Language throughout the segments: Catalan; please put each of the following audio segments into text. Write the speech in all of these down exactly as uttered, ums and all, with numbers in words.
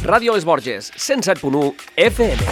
Ràdio Les Borges, cent set punt u F M.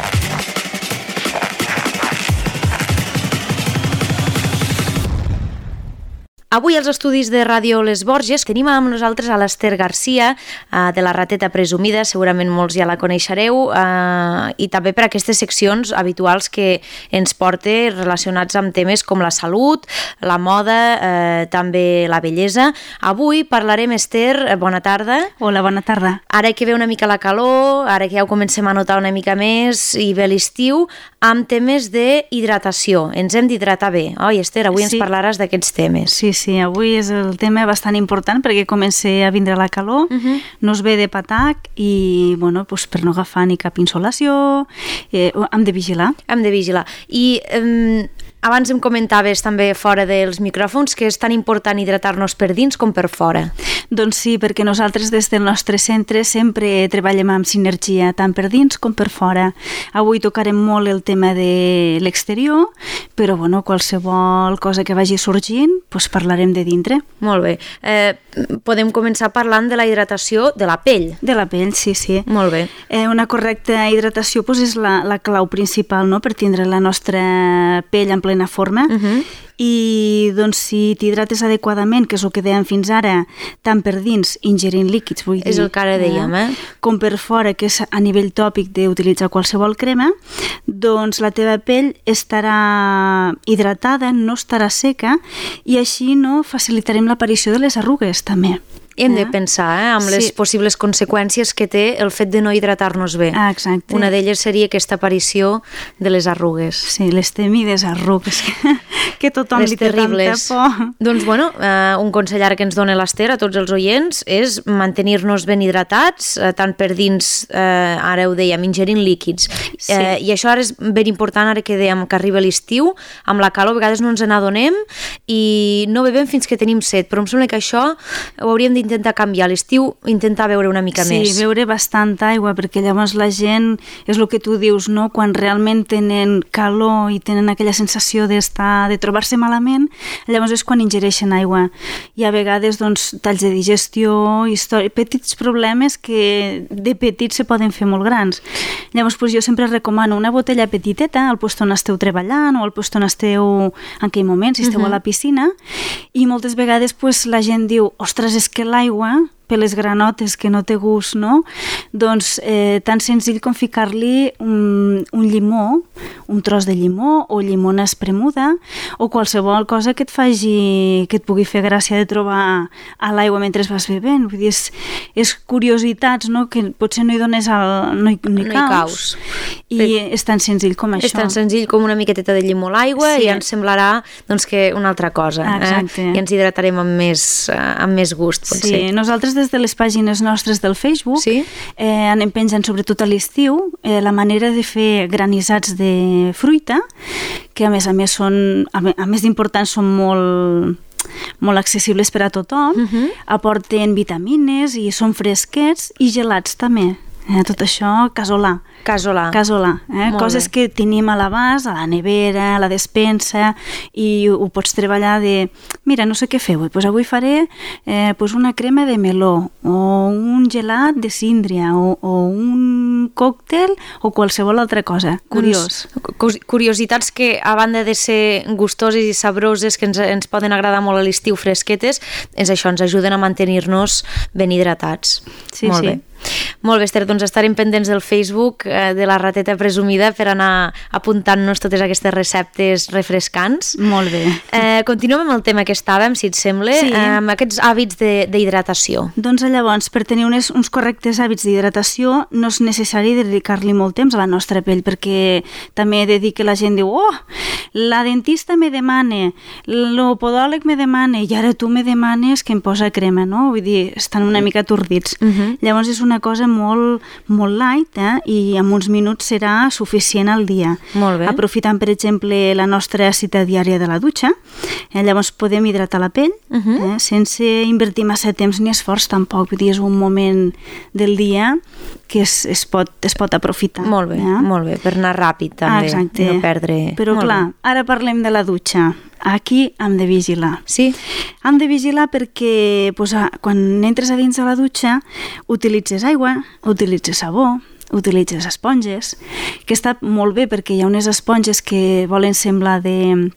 Avui als estudis de Ràdio Les Borges tenim amb nosaltres a l'Ester Garcia, eh, de la Rateta Presumida, segurament molts ja la coneixereu, eh, i també per aquestes seccions habituals que ens porta relacionats amb temes com la salut, la moda, eh, també la bellesa. Avui parlarem, Ester, bona tarda. Hola, bona tarda. Ara que ve una mica la calor, ara que ja ho comencem a notar una mica més i ve l'estiu, amb temes d'hidratació. Ens hem d'hidratar bé, oi, Ester? Avui sí. ens parlaràs d'aquests temes. Sí, sí, avui és el tema bastant important perquè comença a vindre la calor, uh-huh. no es ve de patac i, bueno, doncs per no agafar ni cap insolació, eh, hem de vigilar. Hem de vigilar. I eh, abans em comentaves també fora dels micròfons que és tan important hidratar-nos per dins com per fora. Doncs sí, perquè nosaltres des del nostre centre sempre treballem amb sinergia, tant per dins com per fora. Avui tocarem molt el tema de l'exterior, però bueno, qualsevol cosa que vagi sorgint, doncs parlarem de dintre. Molt bé. Eh, podem començar parlant de la hidratació de la pell. De la pell, sí, sí. Molt bé. Eh, una correcta hidratació doncs, és la, la clau principal, no?, per tindre la nostra pell en plena forma. Uh-huh. I doncs, si t'hidrates adequadament, que és el que dèiem fins ara, tant per dins, ingerint líquids, vull dir... És el que ara dèiem, eh? Com per fora, que és a nivell tòpic d'utilitzar qualsevol crema, doncs la teva pell estarà hidratada, no estarà seca, i així no facilitarem l'aparició de les arrugues, també. Hem de pensar eh, amb les sí. possibles conseqüències que té el fet de no hidratar-nos bé. Ah, exacte. Una d'elles seria aquesta aparició de les arrugues. Sí, les temides arrugues, que, que tothom les li té terribles. tanta por. Doncs, bueno, eh, un consell ara que ens dona l'Ester a tots els oients és mantenir-nos ben hidratats, eh, tant per dins, eh, ara ho dèiem, ingerint líquids. Sí. Eh, I això ara és ben important, ara que dèiem que arriba l'estiu, amb la calor a vegades no ens n'adonem i no bevem fins que tenim set, però em sembla que això ho hauríem d'intentar intentar canviar a l'estiu, intentar beure una mica sí, més. Sí, beure bastanta aigua, perquè llavors la gent, és el que tu dius, no? Quan realment tenen calor i tenen aquella sensació d'estar, de trobar-se malament, llavors és quan ingereixen aigua. I a vegades, doncs, talls de digestió, història, petits problemes que de petits se poden fer molt grans. Llavors, doncs, jo sempre recomano una botella petiteta al lloc on esteu treballant o al lloc on esteu en aquell moment, si esteu uh-huh. a la piscina, i moltes vegades doncs, la gent diu, ostres, és que l'aigua, per les granotes que no té gust, no? Doncs eh, tan senzill com ficar-li un, un llimó, un tros de llimó o llimona espremuda o qualsevol cosa que et faci, que et pugui fer gràcia de trobar a l'aigua mentre vas bevent. Vull dir, és, és curiositats, no?, que potser no hi dones al, no hi, no hi, no caus, hi caus. I Però és tan senzill com això. És tan senzill com una miqueteta de llimó a l'aigua sí. i ens semblarà doncs, que una altra cosa. Exacte. Eh? I ens hidratarem amb més, amb més gust, potser. Sí, nosaltres des de les pàgines nostres del Facebook sí? eh, anem penjant sobretot a l'estiu eh, la manera de fer granissats de fruita, que a més a més són, a més d'importants, són molt molt accessibles per a tothom, uh-huh. aporten vitamines i són fresquets i gelats també. Eh, tot això casolà. Casolà. Casolà. Eh? Coses bé. Que tenim a l'abast, a la nevera, a la despensa, i ho pots treballar de, mira, no sé què fer avui, pues avui faré eh, pues una crema de meló, o un gelat de síndria, o, o un còctel, o qualsevol altra cosa. Curiós. Doncs, curiositats que, a banda de ser gustoses i sabroses, que ens, ens poden agradar molt a l'estiu, fresquetes, és això, ens ajuden a mantenir-nos ben hidratats. Sí, molt sí. bé. Molt bé, Ester, doncs estarem pendents del Facebook eh, de la Rateta Presumida per anar apuntant-nos totes aquestes receptes refrescants. Molt bé. Eh, continuem amb el tema que estàvem, si et sembla, sí. eh, amb aquests hàbits d'hidratació. Doncs llavors, per tenir uns, uns correctes hàbits d'hidratació no és necessari dedicar-li molt temps a la nostra pell, perquè també he de dir que la gent diu, oh, la dentista me demana, l'opodòleg me demana, i ara tu me demanes que em posa crema, no? Vull dir, estan una mica atordits. Uh-huh. Llavors és una cosa molt, molt light, eh? I en uns minuts serà suficient al dia. Molt bé. Aprofitant, per exemple, la nostra cita diària de la dutxa, eh? Llavors podem hidratar la pell, uh-huh. eh? sense invertir massa temps ni esforç tampoc. Vull dir, és un moment del dia que es, es pot pot, es pot aprofitar. Molt bé, eh? molt bé, per anar ràpid també, Exacte. no perdre... Però molt clar, bé. ara parlem de la dutxa. Aquí hem de vigilar. Sí? Hem de vigilar perquè pues, quan entres a dins de la dutxa utilitzes aigua, utilitzes sabó, utilitzes esponges, que està molt bé perquè hi ha unes esponges que volen semblar de...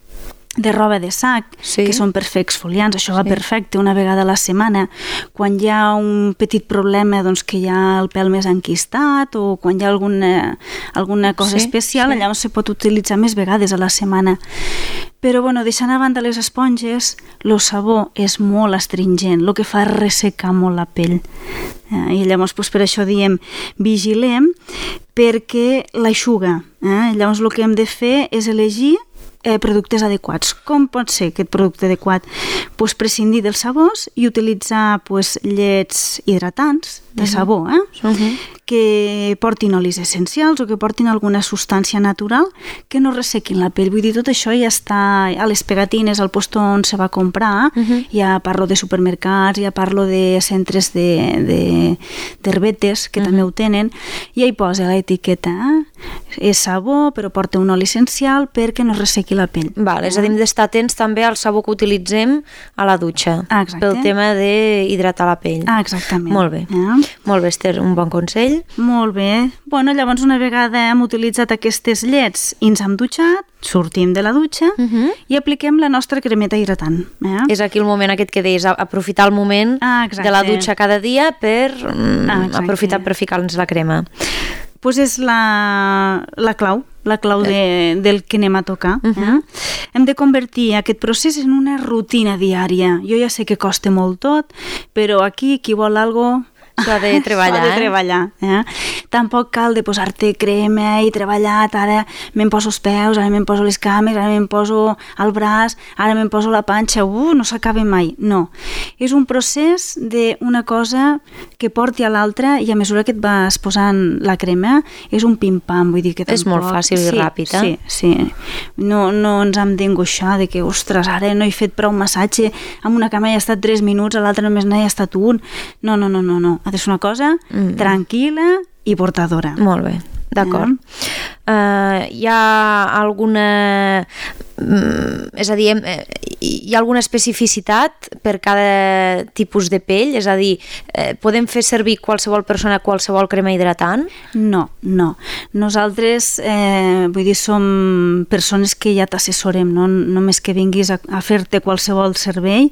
de roba de sac, sí. que són per fer exfoliants, això sí. va perfecte una vegada a la setmana. Quan hi ha un petit problema, doncs que hi ha el pèl més enquistat o quan hi ha alguna, alguna cosa sí, especial, sí. llavors se pot utilitzar més vegades a la setmana. Però, bueno, deixant a banda les esponges, el sabó és molt astringent, el que fa és ressecar molt la pell. Eh? I llavors, doncs, per això diem, vigilem perquè l'aixuga. Eh? Llavors, el que hem de fer és elegir Eh, productes adequats. Com pot ser aquest producte adequat? Pues prescindir dels sabors i utilitzar pues, llets hidratants de sabó, eh? Uh-huh. que portin olis essencials o que portin alguna substància natural que no ressequin la pell. Vull dir, tot això ja està a les pegatines, al lloc on se va comprar, uh-huh. ja parlo de supermercats, ja parlo de centres de, de, d'herbetes que uh-huh. també ho tenen, i ja hi posa l'etiqueta, eh? És sabó, però porta un oli essencial perquè no ressequi la pell. Val, és a dir, hem d'estar atents també al sabó que utilitzem a la dutxa, Exacte. pel tema d'hidratar la pell. Ah, exactament. Molt bé, eh? molt bé, Esther, un bon consell. Molt bé. Bueno, llavors una vegada hem utilitzat aquestes llets i ens hem dutxat, sortim de la dutxa uh-huh. i apliquem la nostra cremeta hidratant. Eh? És aquí el moment aquest que deies, aprofitar el moment ah, de la dutxa cada dia per ah, aprofitar per ficar-nos la crema. Pues és la, la clau, la clau de, del que anem a tocar. Uh-huh. eh? Hem de convertir aquest procés en una rutina diària. Jo ja sé que costa molt tot, però aquí qui vol alguna cosa s'ha de treballar, s'ha de treballar eh? Tampoc cal de posar-te crema i treballar, ara me'n poso els peus, ara me'n poso les cames, ara me'n poso el braç, ara me'n poso la panxa, uh, no s'acaba mai. No, és un procés d'una cosa que porti a l'altra i a mesura que et vas posant la crema és un pim-pam, vull dir que tampoc... És molt fàcil i sí, ràpid, eh? Sí, sí. No, no ens hem d'angoixar de que, ostres, ara no he fet prou massatge, amb una cama he estat tres minuts, a l'altra només n'he estat un. No, no, no, no, no. Ha de ser una cosa mm. tranquil·la i portadora. Molt bé, d'acord. Eh? Uh, hi ha alguna... És a dir, hi ha alguna especificitat per cada tipus de pell? És a dir, eh, podem fer servir qualsevol persona qualsevol crema hidratant? No, no. Nosaltres, eh, vull dir, som persones que ja t'assessorem, no només que vinguis a, a fer-te qualsevol servei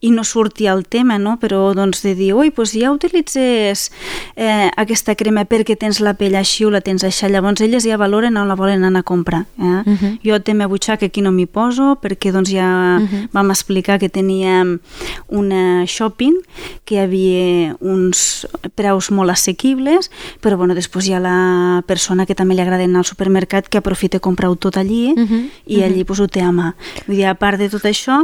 i no surti el tema, no? Però doncs de dir, ui, doncs ja utilitzes eh, aquesta crema perquè tens la pell així o la tens així, llavors elles ja valoren on la volen anar a comprar. Eh? Uh-huh. Jo té me butxaca aquí no m'hi poso perquè doncs ja uh-huh. vam explicar que teníem una shopping que hi havia uns preus molt assequibles, però bueno, després hi ha la persona que també li agrada anar al supermercat que aprofita a comprar-ho tot allí uh-huh. i allí uh-huh. pues, ho té a mà. Vull dir, a part de tot això,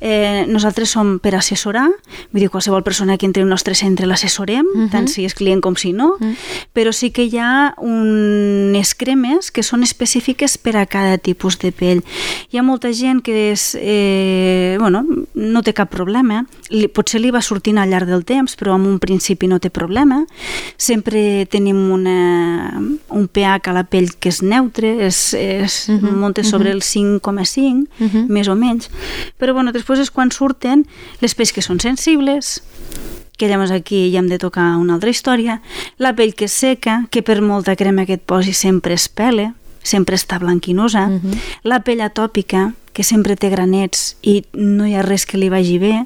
eh, nosaltres som per assessorar, vull dir, qualsevol persona que entri al nostre centre l'assessorem, uh-huh. tant si és client com si no, uh-huh. però sí que hi ha unes cremes que són específiques per a cada tipus de pell. Hi ha molta gent que és, eh, bueno, no té cap problema, li, potser li va sortint al llarg del temps, però en un principi no té problema. Sempre tenim una, un pH a la pell que és neutre, és, és uh-huh, munta sobre uh-huh. el cinc coma cinc, uh-huh. més o menys. Però bueno, després és quan surten les pells que són sensibles, que llavors aquí ja hem de tocar una altra història, la pell que és seca, que per molta crema que et posi sempre es pele, sempre està blanquinosa, uh-huh. la pell atòpica, que sempre té granets i no hi ha res que li vagi bé.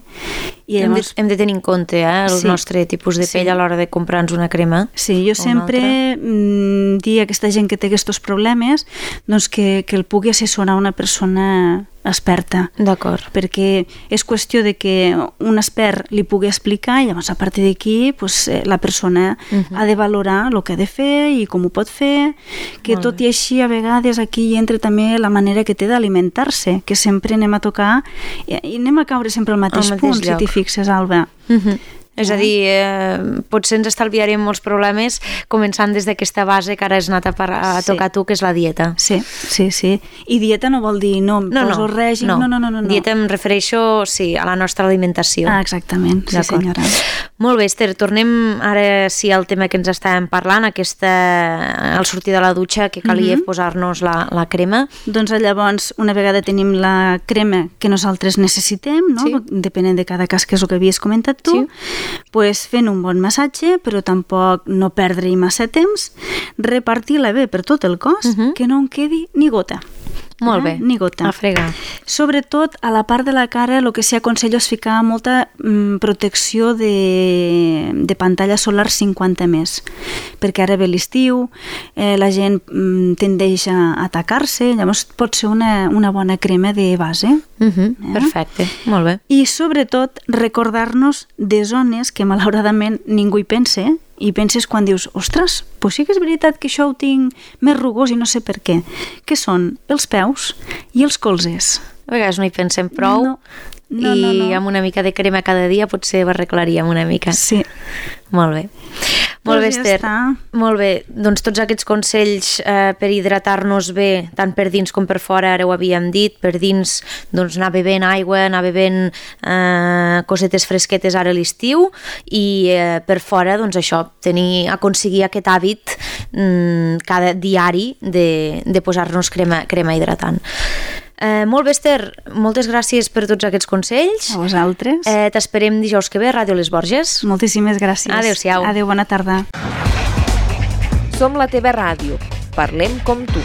I llavors... hem, de, hem de tenir en compte eh, el sí, nostre tipus de pell sí. a l'hora de comprar-nos una crema. Sí, jo sempre mm, dic a aquesta gent que té aquests problemes doncs que, que el pugui assessorar una persona experta. D'acord. Perquè és qüestió de que un expert li pugui explicar i llavors a partir d'aquí pues, la persona uh-huh. ha de valorar el que ha de fer i com ho pot fer, que Molt tot bé. I així a vegades aquí hi entra també la manera que té d'alimentar-se, que sempre anem a tocar i anem a caure sempre al mateix, al mateix punt, lloc. Si t'hi fixes, Alba. Uh-huh. És a dir, eh, potser ens estalviarem molts problemes començant des d'aquesta base que ara has anat a, par a Sí. tocar tu, que és la dieta. Sí, sí, sí. I dieta no vol dir no, em No, poso no, règim, no. no, no, no, no. no. Dieta em refereixo, sí, a la nostra alimentació. Ah, exactament, sí D'acord. senyora. Molt bé, Esther, tornem ara sí al tema que ens estàvem parlant, aquesta, al sortir de la dutxa, que calia Mhm. posar-nos la, la crema. Doncs llavors, una vegada tenim la crema que nosaltres necessitem, no? Sí. Depenent de cada cas, que és el que havies comentat tu, Sí. pues fent un bon massatge, però tampoc no perdre-hi massa temps, repartir-la bé per tot el cos, Mhm. que no en quedi ni gota. Molt Eh? bé. Ni gota. A fregar. Sobretot, a la part de la cara, el que s'hi aconsella és ficar molta mm, protecció de, de pantalla solar cinquanta més, perquè ara ve l'estiu, eh, la gent mm, tendeix a atacar-se, llavors pot ser una, una bona crema de base. Uh -huh. Eh? Perfecte, molt bé. I sobretot recordar-nos de zones que malauradament ningú hi pensa, eh? I penses quan dius, ostres, pues sí que és veritat que això ho tinc més rugós i no sé per què, que són els peus i els colzes. A vegades no hi pensem prou No, no, i no, no. amb una mica de crema cada dia potser ho arreglaríem una mica. Sí. Molt bé. Molt bé, Doncs ja Esther. està. Molt bé. Doncs tots aquests consells eh, per hidratar-nos bé, tant per dins com per fora, ara ho havíem dit, per dins doncs, anar bevent aigua, anar bevent eh, cosetes fresquetes ara a l'estiu i eh, per fora, doncs això, tenir, aconseguir aquest hàbit mm, cada diari de, de posar-nos crema, crema hidratant. Eh, molt bé, Esther, moltes gràcies per tots aquests consells. A vosaltres. Eh, T'esperem dijous que ve a Ràdio Les Borges. Moltíssimes gràcies. Adéu-siau. Adéu, bona tarda. Som la teva ràdio. Parlem com tu.